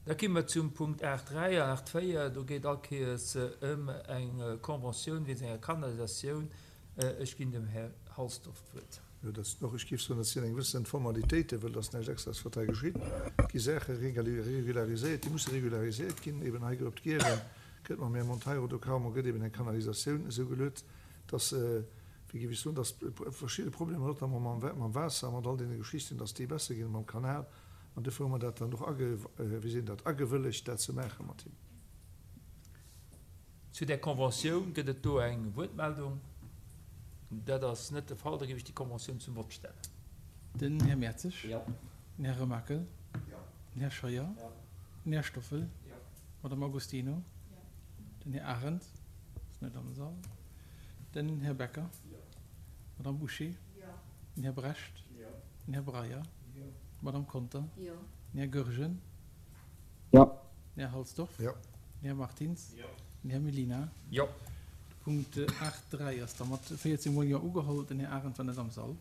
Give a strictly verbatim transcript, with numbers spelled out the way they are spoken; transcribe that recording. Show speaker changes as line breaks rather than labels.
Da komme mer zum Punkt aacht dräi an aacht véier. Do geet all Kéiers ëm eng Conventioun wéinst enger Kanalisatioun. Ech ginn dem Här Halsdorf d'Wuert.
Jo, dat sinn och, ech géif soen, dat sinn eng gewëssen Formalitéiten, wëll et ass näischt Extraes, wat hei geschitt. Et gi Saache regulariséiert, déi musse regulariséiert ginn. Eben hei op d'Giere gëtt mam Här Monteiro do carrément gëtt eben eng Kanalisatioun esou geluet, dass, wéi géif ech soen, dass verschidde Problemer, notamment mam, mam Waasser, mat all deene Geschichten, dass déi besser ginn, mam Kanal. An dofir hu mer dat dann och age, wéi seet een dat, agewëllegt, dat ze maache mat him.
Zu där Conventioun, gëtt et do eng Wuertmeldung? Dat ass net de Fall. Da géif ech déi Conventioun zum Vott stellen.
Den Här Mertzig.
Jo.
Den Här Remakel.
Jo.
Den Här Scheuer.
Jo.
Den Här Stoffel.
Jo.
D'Madame Agostino.
Jo.
Den Här Arendt ass net am Sall. Den Här Becker.
Jo.
D'Madame Bouché.
Jo.
Den Här Brecht.
Jo.
Den Här Breyer.
Jo.
D'Madame Conter.
Jo.
Den Här Goergen.
Jo.
Den Här Halsdorf.
Jo.
Den Här Martins.
Jo.
Den Här Mellina.
Jo.
De Punkt aacht dräi ass da mat véierzéng mol Jo ugeholl. Den Här Arendt war net am Sall.